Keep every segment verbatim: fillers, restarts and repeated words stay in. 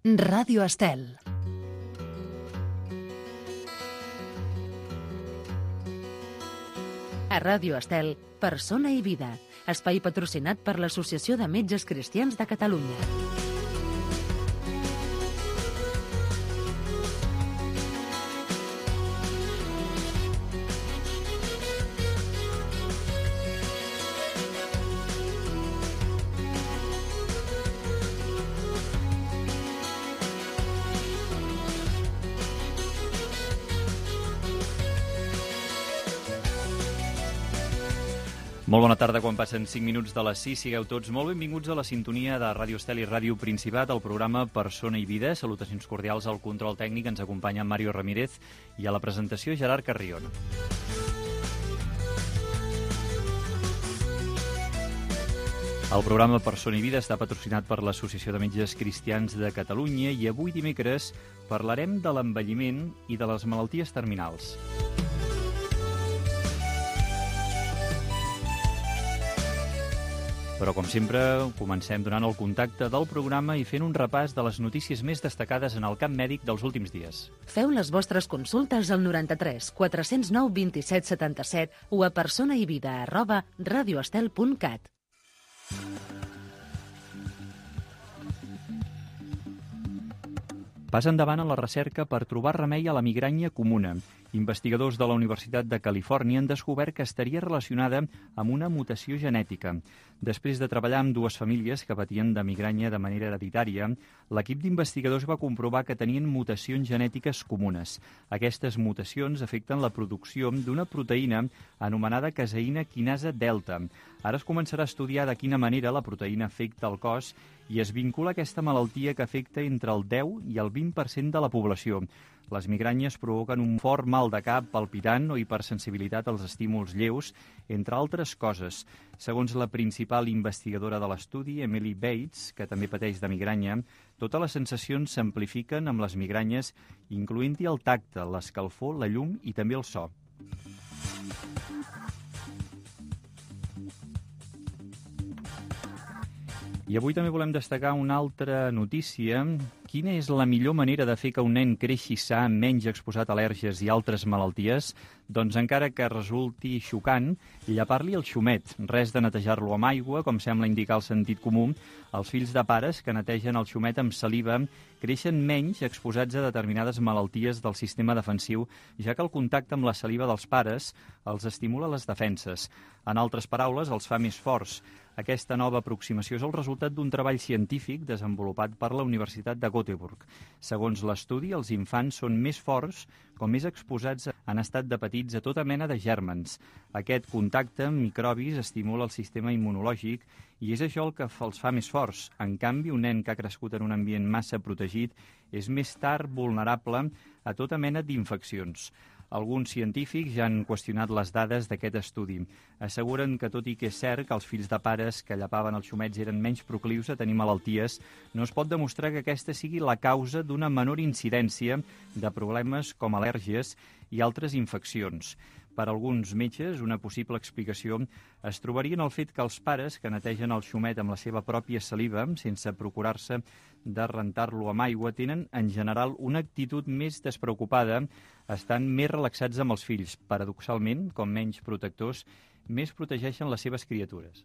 Ràdio Estel. A Ràdio Estel, Persona i Vida, espai patrocinat per l'Associació de Metges Cristians de Catalunya. Molt bona tarda, quan passen cinc minuts de les sis. Sigueu tots molt benvinguts a la sintonia de Ràdio Estel i Ràdio Principat, el programa Persona i Vida. Salutacions cordials al control tècnic, ens acompanya Mario Ramírez, i a la presentació Gerard Carrion. El programa Persona i Vida està patrocinat per l'Associació de Metges Cristians de Catalunya i avui dimecres parlarem de l'envelliment i de les malalties terminals. Però, com sempre, comencem donant el contacte del programa i fent un repàs de les notícies més destacades en el camp mèdic dels últims dies. Feu les vostres consultes al noranta-tres quatre-cents nou vint-i-set setanta-set o a personaivida arroba radioestel punt cat. Pas endavant en la recerca per trobar remei a la migranya comuna. Investigadors de la Universitat de Califòrnia han descobert que estaria relacionada amb una mutació genètica. Després de treballar amb dues famílies que patien de migranya de manera hereditària, l'equip d'investigadors va comprovar que tenien mutacions genètiques comunes. Aquestes mutacions afecten la producció d'una proteïna anomenada caseïna quinasa delta. Ara es començarà a estudiar de quina manera la proteïna afecta el cos i es vincula a aquesta malaltia que afecta entre el deu i el vint per cent de la població. Les migranyes provoquen un fort mal de cap, palpitant o hipersensibilitat als estímuls lleus, entre altres coses. Segons la principal investigadora de l'estudi, Emily Bates, que també pateix de migranya, totes les sensacions s'amplifiquen amb les migranyes, incloent-hi el tacte, l'escalfor, la llum i també el so. I avui també volem destacar una altra notícia. Quina és la millor manera de fer que un nen creixi sa, menys exposat a al·lèrgies i altres malalties? Doncs encara que resulti xocant, llepar-li el xumet. Res de netejar-lo amb aigua, com sembla indicar el sentit comú. Els fills de pares que netegen el xumet amb saliva creixen menys exposats a determinades malalties del sistema defensiu, ja que el contacte amb la saliva dels pares els estimula les defenses. En altres paraules, els fa més forts. Aquesta nova aproximació és el resultat d'un treball científic desenvolupat per la Universitat de Göteborg. Segons l'estudi, els infants són més forts com més exposats en estat de petits a tota mena de gèrmens. Aquest contacte amb microbis estimula el sistema immunològic i és això el que els fa més forts. En canvi, un nen que ha crescut en un ambient massa protegit és més tard vulnerable a tota mena d'infeccions. Alguns científics ja han qüestionat les dades d'aquest estudi. Asseguren que, tot i que és cert que els fills de pares que llapaven els xumets eren menys proclius a tenir malalties, no es pot demostrar que aquesta sigui la causa d'una menor incidència de problemes com al·lèrgies i altres infeccions. Per a alguns metges, una possible explicació es trobaria en el fet que els pares que netegen el xumet amb la seva pròpia saliva, sense procurar-se de rentar-lo amb aigua, tenen, en general, una actitud més despreocupada, estan més relaxats amb els fills. Paradoxalment, com menys protectors, més protegeixen les seves criatures.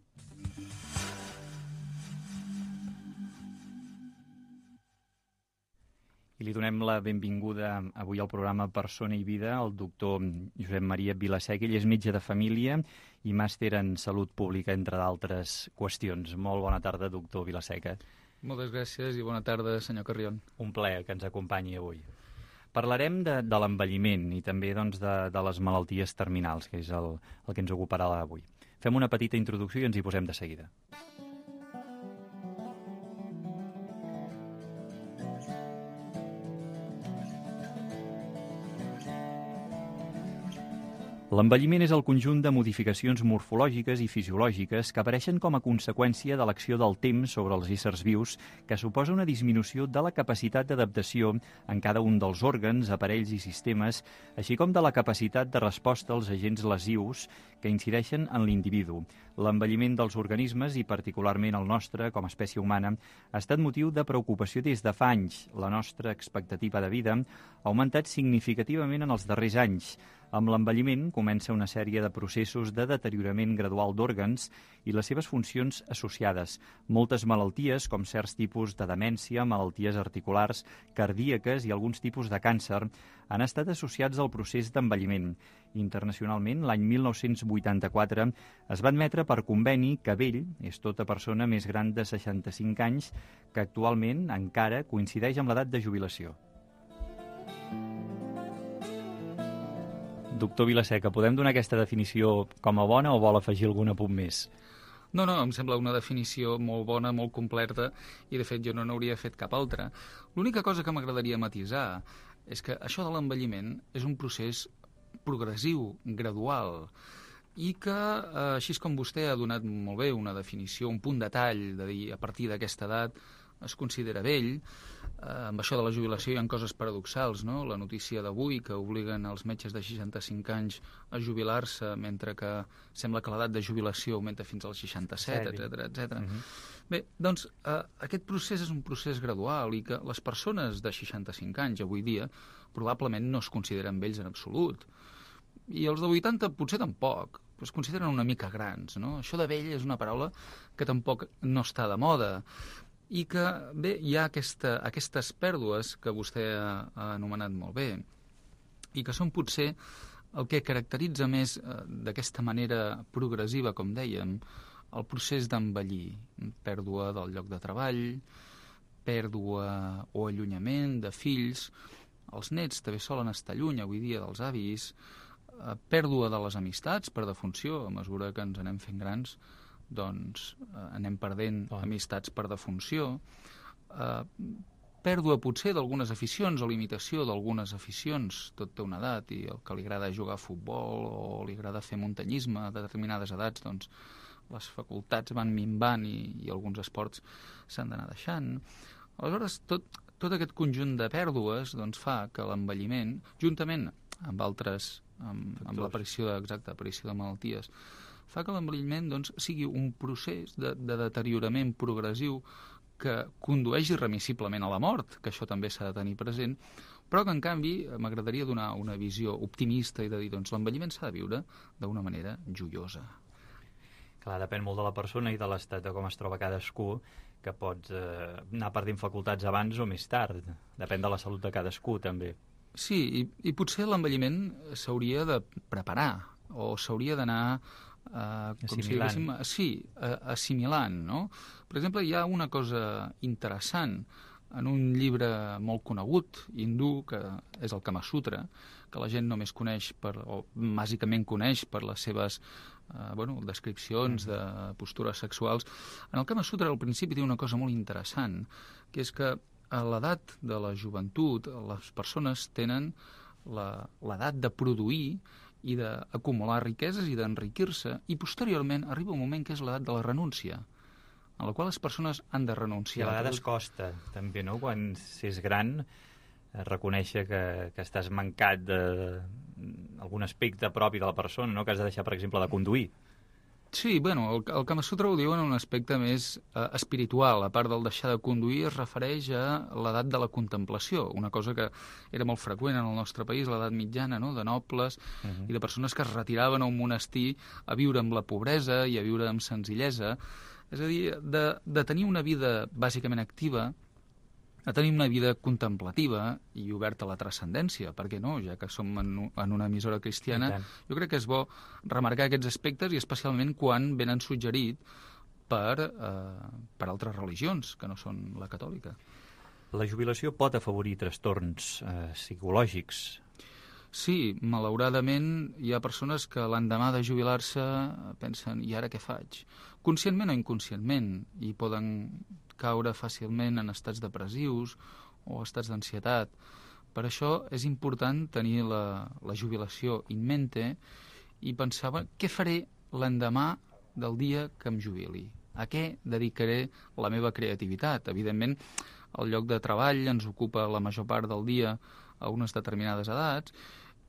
I li donem la benvinguda avui al programa Persona i Vida al doctor Josep Maria Vilaseca. Ell és metge de família i màster en salut pública, entre d'altres qüestions. Molt bona tarda, doctor Vilaseca. Moltes gràcies i bona tarda, senyor Carrion. Un plaer que ens acompanyi avui. Parlarem de, de l'envelliment i també doncs, de, de les malalties terminals, que és el, el que ens ocuparà avui. Fem una petita introducció i ens hi posem de seguida. L'envelliment és el conjunt de modificacions morfològiques i fisiològiques que apareixen com a conseqüència de l'acció del temps sobre els éssers vius, que suposa una disminució de la capacitat d'adaptació en cada un dels òrgans, aparells i sistemes, així com de la capacitat de resposta als agents lesius que incideixen en l'individu. L'envelliment dels organismes, i particularment el nostre, com a espècie humana, ha estat motiu de preocupació des de fa anys. La nostra expectativa de vida ha augmentat significativament en els darrers anys. Amb l'envelliment comença una sèrie de processos de deteriorament gradual d'òrgans i les seves funcions associades. Moltes malalties, com certs tipus de demència, malalties articulars, cardíaques i alguns tipus de càncer, han estat associats al procés d'envelliment. Internacionalment, l'any mil nou-cents vuitanta-quatre es va admetre per conveni que vell és tota persona més gran de seixanta-cinc anys que actualment encara coincideix amb l'edat de jubilació. Doctor Vilaseca, podem donar aquesta definició com a bona o vol afegir algun apunt més? No, no, em sembla una definició molt bona, molt completa, i de fet jo no n'hauria fet cap altra. L'única cosa que m'agradaria matisar és que això de l'envelliment és un procés progressiu, gradual, i que, eh, així com vostè ha donat molt bé una definició, un punt de tall, de dir a partir d'aquesta edat es considera vell. Eh, amb això de la jubilació hi ha coses paradoxals, no? La notícia d'avui que obliguen els metges de seixanta-cinc anys a jubilar-se, mentre que sembla que l'edat de jubilació augmenta fins als seixanta-set, etcètera, etcètera. Uh-huh. Bé, doncs eh, aquest procés és un procés gradual i que les persones de seixanta-cinc anys avui dia probablement no es consideren vells en absolut. I els de vuitanta potser tampoc, però es consideren una mica grans, no? Això de vell és una paraula que tampoc no està de moda. I que, bé, hi ha aquesta, aquestes pèrdues que vostè ha, ha anomenat molt bé i que són potser el que caracteritza més eh, d'aquesta manera progressiva, com dèiem, el procés d'envellir. Pèrdua del lloc de treball, pèrdua o allunyament de fills. Els nets també solen estar lluny avui dia dels avis. Eh, pèrdua de les amistats per defunció, a mesura que ens anem fent grans, doncs eh, anem perdent oh. amistats per defunció, eh, pèrdua potser d'algunes aficions o limitació d'algunes aficions. Tot té una edat, i el que li agrada jugar a futbol o li agrada fer muntanyisme a determinades edats, doncs les facultats van minvant i, i alguns esports s'han d'anar deixant. Aleshores, tot, tot aquest conjunt de pèrdues doncs, fa que l'envelliment, juntament amb altres, amb, amb l'aparició de, exacte, aparició de malalties, fa que l'envelliment doncs, sigui un procés de, de deteriorament progressiu que condueix irremissiblement a la mort, que això també s'ha de tenir present, però que, en canvi, m'agradaria donar una visió optimista i de dir, doncs, l'envelliment s'ha de viure d'una manera joiosa. Clar, depèn molt de la persona i de l'estat de com es troba cadascú, que pots eh, anar perdent facultats abans o més tard. Depèn de la salut de cadascú, també. Sí, i, i potser l'envelliment s'hauria de preparar, o s'hauria d'anar Uh, com si diguéssim, sí, uh, assimilant, no? Per exemple, hi ha una cosa interessant en un llibre molt conegut, hindú, que és el Kama Sutra, que la gent només coneix, per, o bàsicament coneix per les seves uh, bueno, descripcions de postures sexuals. En el Kama Sutra, al principi, té una cosa molt interessant, que és que a l'edat de la joventut les persones tenen l'edat de produir i d'acumular riqueses i d'enriquir-se, i posteriorment arriba un moment que és l'edat de la renúncia, en la qual les persones han de renunciar. I a vegades costa, també, no?, quan s'és gran, reconèixer que, que estàs mancat d'algun aspecte propi de la persona, no?, que has de deixar, per exemple, de conduir. Sí, bueno, el, el Kama Sutra ho diu en un aspecte més eh, espiritual. A part del deixar de conduir, es refereix a l'edat de la contemplació, una cosa que era molt freqüent en el nostre país, l'edat mitjana, no?, de nobles uh-huh. i de persones que es retiraven a un monestir a viure amb la pobresa i a viure amb senzillesa. És a dir, de, de tenir una vida bàsicament activa, a tenir una vida contemplativa i oberta a la transcendència, per què no? Ja que som en, en una emissora cristiana, jo crec que és bo remarcar aquests aspectes, i especialment quan venen suggerit per, eh, per altres religions, que no són la catòlica. La jubilació pot afavorir trastorns eh, psicològics? Sí, malauradament hi ha persones que l'endemà de jubilar-se pensen, i ara què faig? Conscientment o inconscientment, i poden caure fàcilment en estats depressius o estats d'ansietat. Per això és important tenir la, la jubilació in mente i pensava què faré l'endemà del dia que em jubili, a què dedicaré la meva creativitat. Evidentment, el lloc de treball ens ocupa la major part del dia a unes determinades edats,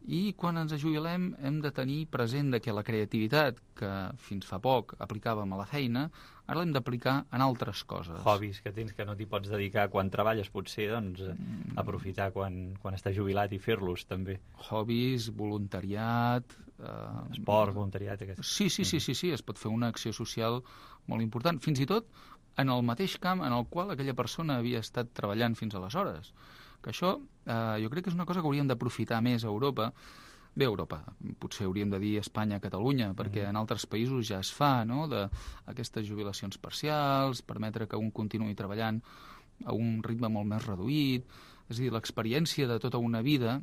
i quan ens jubilem hem de tenir present que la creativitat que fins fa poc aplicàvem a la feina, ara l'hem d'aplicar en altres coses. Hobbies que tens que no t'hi pots dedicar quan treballes, potser, doncs, mm. aprofitar quan, quan estàs jubilat i fer-los, també. Hobbies, voluntariat... Eh... Esport, voluntariat... Aquest... Sí, sí, sí, sí, sí, es pot fer una acció social molt important, fins i tot en el mateix camp en el qual aquella persona havia estat treballant fins aleshores. Que això eh, jo crec que és una cosa que hauríem d'aprofitar més a Europa. Bé, a Europa, potser hauríem de dir Espanya, Catalunya, perquè mm. en altres països ja es fa, no?, d'aquestes jubilacions parcials, permetre que un continuï treballant a un ritme molt més reduït. És a dir, l'experiència de tota una vida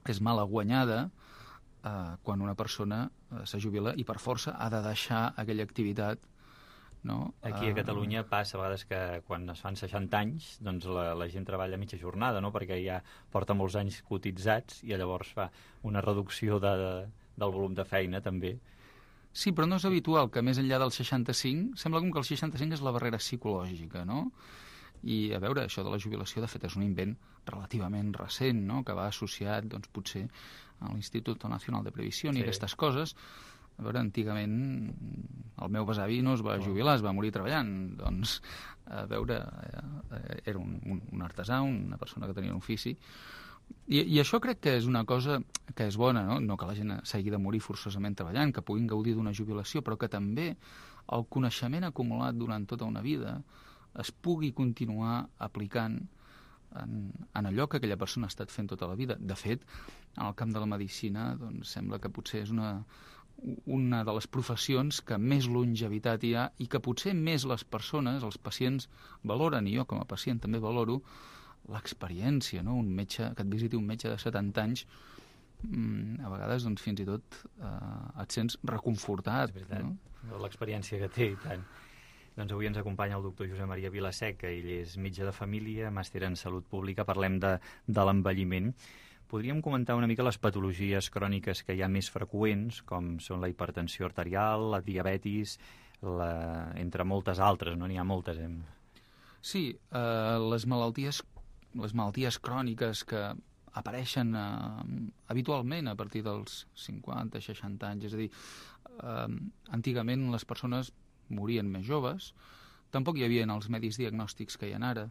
és mala guanyada eh, quan una persona eh, se jubila i per força ha de deixar aquella activitat. No? Aquí a Catalunya passa a vegades que quan es fan seixanta anys doncs la, la gent treballa a mitja jornada, no? Perquè ja porta molts anys cotitzats i llavors fa una reducció de, de, del volum de feina també. Sí, però no és habitual que més enllà del seixanta-cinc, sembla com que el seixanta-cinc és la barrera psicològica, no? I a veure, això de la jubilació de fet és un invent relativament recent, no?, que va associat doncs, potser a l'Institut Nacional de Previsión sí. i aquestes coses. A veure, antigament el meu besavi no es va jubilar, es va morir treballant. Doncs, a veure, era un, un, un artesà, una persona que tenia un ofici. I, I això crec que és una cosa que és bona, no? No que la gent s'hagi de morir forçosament treballant, que puguin gaudir d'una jubilació, però que també el coneixement acumulat durant tota una vida es pugui continuar aplicant en, en allò que aquella persona ha estat fent tota la vida. De fet, en el camp de la medicina doncs, sembla que potser és una... una de les professions que més longevitat hi ha i que potser més les persones, els pacients, valoren, i jo com a pacient també valoro, l'experiència, no? Un metge, que et visiti un metge de setanta anys, a vegades doncs, fins i tot eh, et sents reconfortat. És veritat, no? L'experiència que té i tant. Doncs avui ens acompanya el doctor Josep Maria Vilaseca, ell és metge de família, màster en salut pública, parlem de, de l'envelliment. Podríem comentar una mica les patologies cròniques que hi ha més freqüents, com són la hipertensió arterial, la diabetis, la... entre moltes altres, no? N'hi ha moltes. Hem... Sí, eh, les malalties, les malalties cròniques que apareixen eh, habitualment a partir dels cinquanta, seixanta anys, és a dir, eh, antigament les persones morien més joves, tampoc hi havia els medis diagnòstics que hi ha ara,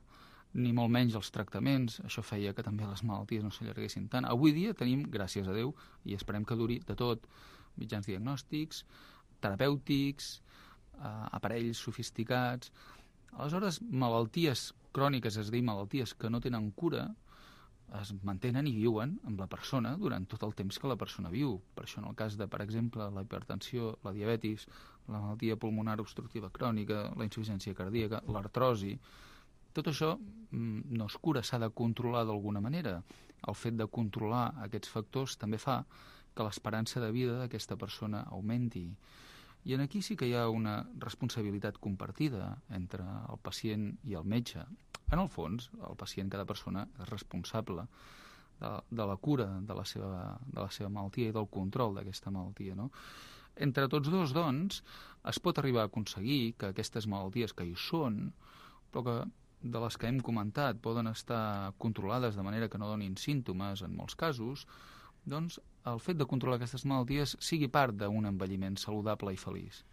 ni molt menys els tractaments, això feia que també les malalties no s'allarguessin tant. Avui dia tenim, gràcies a Déu, i esperem que duri de tot, mitjans diagnòstics, terapèutics, eh, aparells sofisticats. Aleshores, malalties cròniques, és a dir, malalties que no tenen cura, es mantenen i viuen amb la persona durant tot el temps que la persona viu. Per això en el cas de, per exemple, la hipertensió, la diabetis, la malaltia pulmonar obstructiva crònica, la insuficiència cardíaca, l'artrosi, tot això no es cura, s'ha de controlar d'alguna manera. El fet de controlar aquests factors també fa que l'esperança de vida d'aquesta persona augmenti. I en aquí sí que hi ha una responsabilitat compartida entre el pacient i el metge. En el fons, el pacient, cada persona, és responsable de, de la cura de la, seva, de la seva malaltia i del control d'aquesta malaltia, no? Entre tots dos, doncs, es pot arribar a aconseguir que aquestes malalties que hi són, però que de les que hem comentat poden estar controlades de manera que no donin símptomes en molts casos, doncs el fet de controlar aquestes malalties sigui part d'un envelliment saludable i feliç.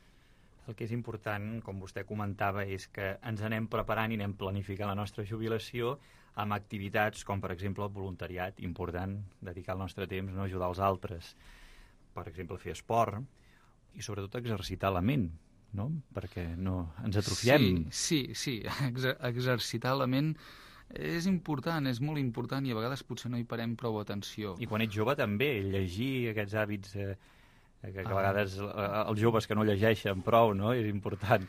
El que és important, com vostè comentava, és que ens anem preparant i anem planificant la nostra jubilació amb activitats com, per exemple, el voluntariat, important, dedicar el nostre temps, no ajudar els altres, per exemple, fer esport i sobretot exercitar la ment, no? Perquè no ens atrofiem. Sí, sí, sí. Exer exercitar la ment és important, és molt important i a vegades potser no hi parem prou atenció. I quan ets jove també, llegir aquests hàbits eh, que, que a vegades ah. els joves que no llegeixen prou, no? És important.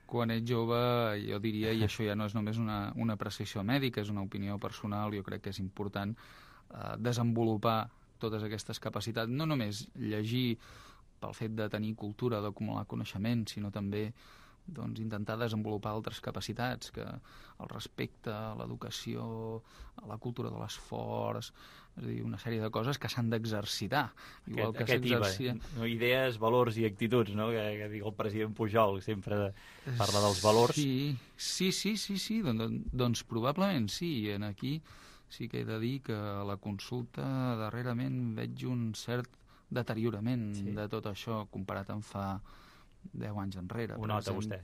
Quan ets jove, jo diria, i això ja no és només una, una apreciació mèdica, és una opinió personal, jo crec que és important eh, desenvolupar totes aquestes capacitats, no només llegir pel fet de tenir cultura, d'acumular coneixement, sinó també doncs, intentar desenvolupar altres capacitats, que el respecte, l'educació, la cultura de l'esforç, és a dir, una sèrie de coses que s'han d'exercitar. Igual Aquest, que aquest I V A, s'exercia... no, idees, valors i actituds, no? Que, que diu el president Pujol, sempre de, parla dels valors. Sí, sí, sí, sí, sí. Doncs, doncs probablement sí. En aquí sí que he de dir que a la consulta darrerament veig un cert deteriorament sí. de tot això comparat amb fa deu anys enrere. Ho nota vostè.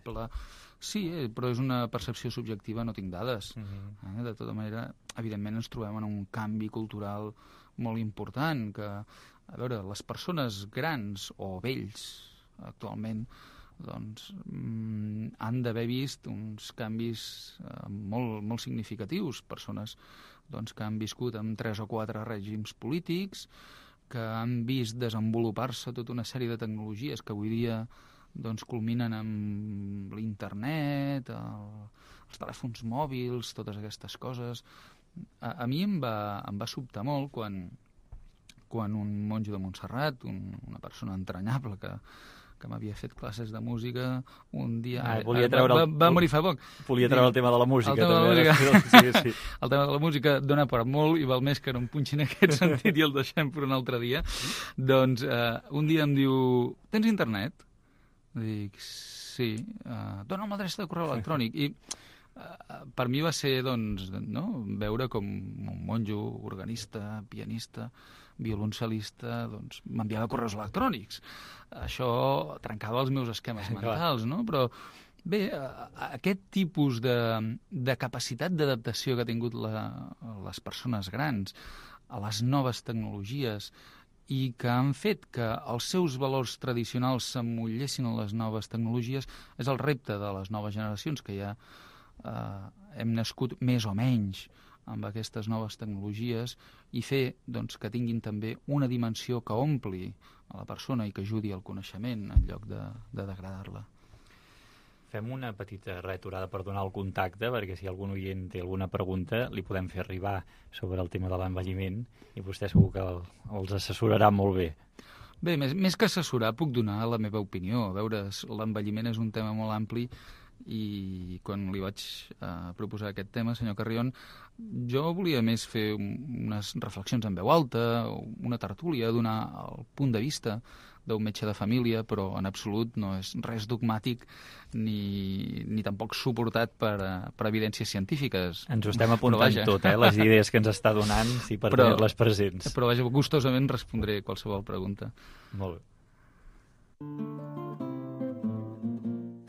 Sí, eh, però és una percepció subjectiva, no tinc dades. Uh -huh. eh? De tota manera, evidentment ens trobem en un canvi cultural molt important, que, a veure, les persones grans o vells actualment doncs, mm, han d'haver vist uns canvis eh, molt, molt significatius. Persones doncs, que han viscut amb tres o quatre règims polítics, que han vist desenvolupar-se tota una sèrie de tecnologies que avui dia doncs culminen amb l'internet, el, els telèfons mòbils, totes aquestes coses. A, a mi em va, em va sobtar molt quan, quan un monjo de Montserrat, un, una persona entranyable que, que m'havia fet classes de música, un dia... Ah, volia treure va, el, va, va morir fa poc. Volia treure el tema de la música. El tema també, de la música. Sí, sí. El tema de la música dona per molt i val més que no em punxin en aquest sentit i el deixem per un altre dia. Doncs eh, un dia em diu, tens internet? Dic, sí. Uh, dona'm l'adreça de correu electrònic. I uh, per mi va ser, doncs, no? veure com un monjo, organista, pianista, violoncel·lista, doncs, m'enviava correus electrònics. Això trencava els meus esquemes mentals, no? Però bé, aquest tipus de, de capacitat d'adaptació que ha tingut la, les persones grans a les noves tecnologies i que han fet que els seus valors tradicionals s'emmollessin a les noves tecnologies és el repte de les noves generacions, que ja eh, hem nascut més o menys amb aquestes noves tecnologies, i fer doncs, que tinguin també una dimensió que ompli a la persona i que ajudi al coneixement en lloc de, de degradar-la. Fem una petita reaturada per donar el contacte, perquè si algun oient té alguna pregunta li podem fer arribar sobre el tema de l'envelliment i vostè segur que el, els assessorarà molt bé. Bé, més, més que assessorar puc donar la meva opinió. A veure, l'envelliment és un tema molt ampli i quan li vaig eh, proposar aquest tema, senyor Carrion, jo volia més fer unes reflexions en veu alta, una tertúlia, donar el punt de vista d'un metge de família, però en absolut no és res dogmàtic ni, ni tampoc suportat per, per evidències científiques. Ens ho estem apuntant tot, eh? Les idees que ens està donant, sí, per però, tenir-les presents. Però vaja, gustosament respondré qualsevol pregunta. Molt bé.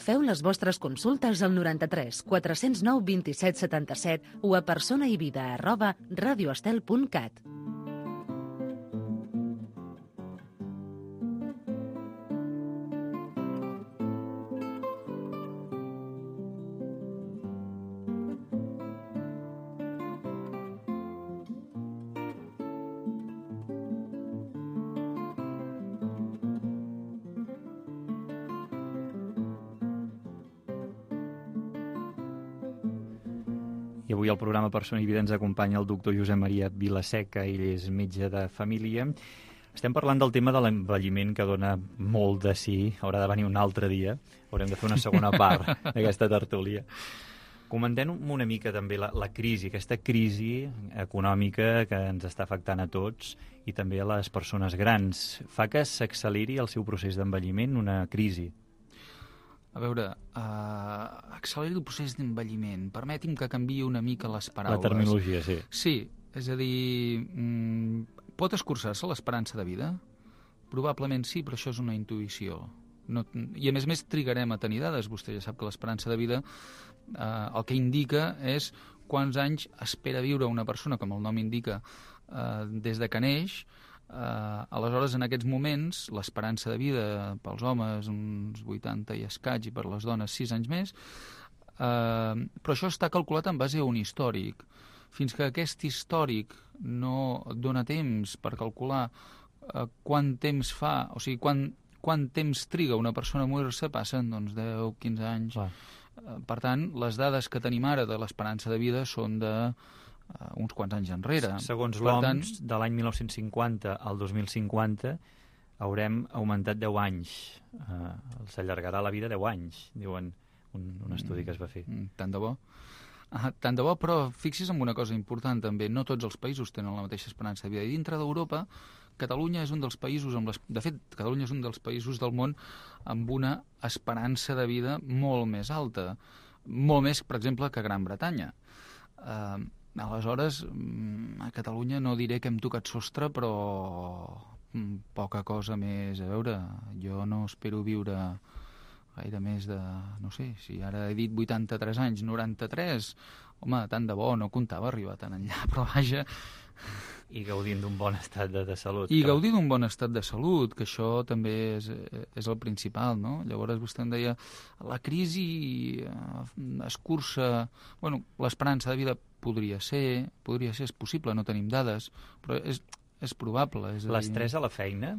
Feu les vostres consultes al noranta-tres quatre-cents nou vint-i-set setanta-set o a personaivida arroba radioestel punt cat. I avui al programa Persona i Vida ens acompanya el doctor Josep Maria Vilaseca, ell és metge de família. Estem parlant del tema de l'envelliment, que dona molt de sí, haurà de venir un altre dia, haurem de fer una segona part d'aquesta tertúlia. Comentem una mica també la, la crisi, aquesta crisi econòmica que ens està afectant a tots i també a les persones grans. Fa que s'acceleri el seu procés d'envelliment, una crisi? A veure, uh, acceleri el procés d'envelliment. Permeti'm que canviï una mica les paraules. La terminologia, sí. Sí, és a dir, mm, pot escurçar-se l'esperança de vida? Probablement sí, però això és una intuïció. No, I a més a més trigarem a tenir dades. Vostè ja sap que l'esperança de vida uh, el que indica és quants anys espera viure una persona, com el nom indica, uh, des de que neix. Uh, aleshores, en aquests moments, l'esperança de vida pels homes uns vuitanta i escaig i per les dones sis anys més, uh, però això està calculat en base a un històric. Fins que aquest històric no dona temps per calcular uh, quant temps fa, o sigui, quan, quant temps triga una persona a morir-se, passen doncs, deu, quinze anys. Uh, per tant, les dades que tenim ara de l'esperança de vida són de Uh, uns quants anys enrere. Segons l'O M S, de l'any mil nou-cents cinquanta al dos mil cinquanta haurem augmentat deu anys. Uh, S'allargarà la vida deu anys, diuen. un, un estudi que es va fer. Mm, tant de bo. Ah, tant de bo, però fixi's en una cosa important també, no tots els països tenen la mateixa esperança de vida. I dintre d'Europa, Catalunya és un dels països, amb les... de fet, Catalunya és un dels països del món amb una esperança de vida molt més alta, molt més, per exemple, que Gran Bretanya. Uh, aleshores, a Catalunya no diré que hem tocat sostre, però poca cosa més. A veure, jo no espero viure gaire més de, no sé, si ara he dit vuitanta-tres anys, noranta-tres, home, tant de bo, no comptava arribar tan enllà, però vaja... I gaudint d'un bon estat de, de salut. I gaudir d'un bon estat de salut, que això també és, és el principal, no? Llavors vostè em deia, la crisi escurça... Bueno, l'esperança de vida podria ser, podria ser, és possible, no tenim dades, però és, és probable. És L'estrès a la feina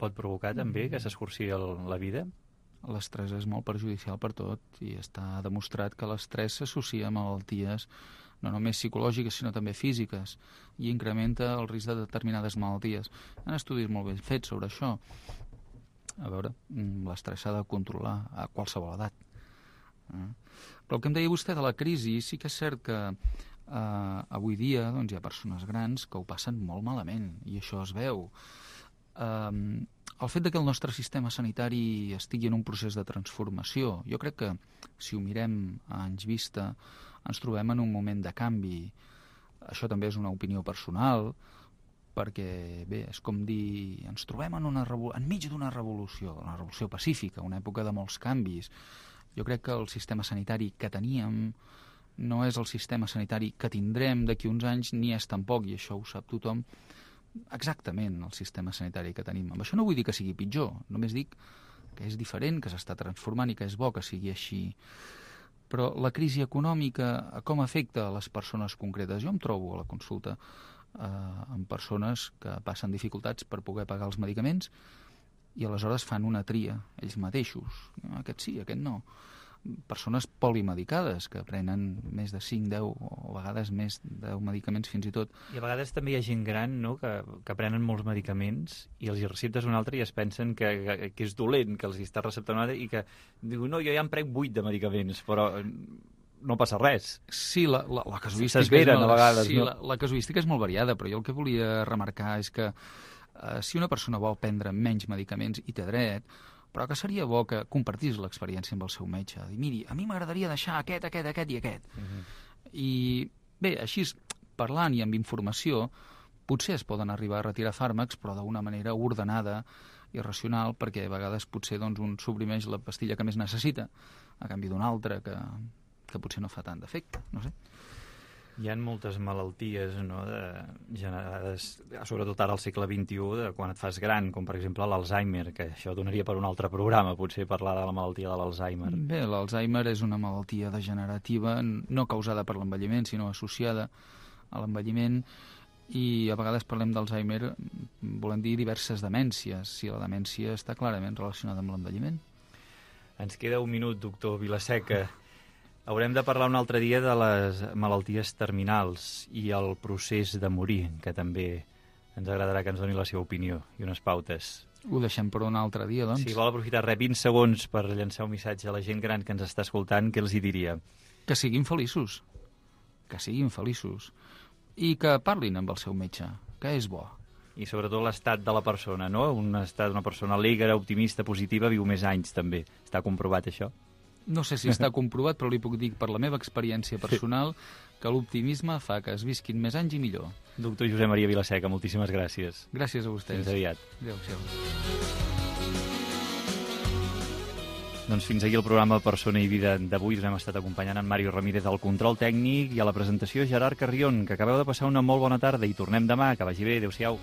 pot provocar també que s'escurci la vida? L'estrès és molt perjudicial per tot i està demostrat que l'estrès s'associa a malalties no només psicològiques, sinó també físiques, i incrementa el risc de determinades malalties. Hi ha estudis molt ben fets sobre això. A veure, l'estrès s'ha de controlar a qualsevol edat. Eh? Però el que em deia vostè de la crisi, sí que és cert que eh, avui dia doncs, hi ha persones grans que ho passen molt malament, i això es veu. Eh, el fet de que el nostre sistema sanitari estigui en un procés de transformació, jo crec que, si ho mirem a anys vista, ens trobem en un moment de canvi. Això també és una opinió personal, perquè, bé, és com dir, ens trobem en una enmig d'una revolució, una revolució pacífica, una època de molts canvis. Jo crec que el sistema sanitari que teníem no és el sistema sanitari que tindrem d'aquí uns anys, ni és tampoc, i això ho sap tothom, exactament el sistema sanitari que tenim. Amb això no vull dir que sigui pitjor, només dic que és diferent, que s'està transformant i que és bo que sigui així. Però la crisi econòmica, com afecta a les persones concretes? Jo em trobo a la consulta eh, amb persones que passen dificultats per poder pagar els medicaments i aleshores fan una tria ells mateixos. Aquest sí, aquest no. Persones polimedicades que prenen més de cinc, deu o a vegades més de deu medicaments fins i tot. I a vegades també hi ha gent gran, no?, que, que prenen molts medicaments i els hi receptes un altre i es pensen que, que, que és dolent, que els hi està receptant un altre i que diu, no, jo ja em prenc vuit de medicaments, però no passa res. Sí, la, la, la casuística... S'esveren molt, a vegades, sí, no? La, la casuística és molt variada, però jo el que volia remarcar és que eh, si una persona vol prendre menys medicaments i té dret, però que seria bo que compartís l'experiència amb el seu metge. Dir, miri, a mi m'agradaria deixar aquest, aquest, aquest i aquest. Uh-huh. I bé, així, parlant i amb informació, potser es poden arribar a retirar fàrmacs, però d'una manera ordenada i racional, perquè a vegades potser doncs, un suprimeix la pastilla que més necessita, a canvi d'una altra que, que potser no fa tant d'efecte, no sé. Hi ha moltes malalties, no?, de, generades, sobretot ara al segle vint-i-u, de quan et fas gran, com per exemple l'Alzheimer, que això donaria per un altre programa, potser parlar de la malaltia de l'Alzheimer. Bé, l'Alzheimer és una malaltia degenerativa, no causada per l'envelliment, sinó associada a l'envelliment, i a vegades parlem d'Alzheimer, volem dir diverses demències, si la demència està clarament relacionada amb l'envelliment. Ens queda un minut, doctor Vilaseca. Haurem de parlar un altre dia de les malalties terminals i el procés de morir, que també ens agradarà que ens doni la seva opinió i unes pautes. Ho deixem per un altre dia, doncs. Si vol aprofitar res, vint segons per llançar un missatge a la gent gran que ens està escoltant, què els hi diria? Que siguin feliços, que siguin feliços, i que parlin amb el seu metge, que és bo. I sobretot l'estat de la persona, no? Un estat d'una persona alegre, optimista, positiva, viu més anys, també. Està comprovat, això? No sé si està comprovat, però li puc dir per la meva experiència personal que l'optimisme fa que es visquin més anys i millor. Doctor Josep Maria Vilaseca, moltíssimes gràcies. Gràcies a vostès. Fins aviat. Adéu-siau. Doncs fins aquí el programa Persona i Vida d'avui. Us hem estat acompanyant en Mario Ramírez al control tècnic i a la presentació Gerard Carrion, que acabeu de passar una molt bona tarda i tornem demà. Que vagi bé. Adéu-siau.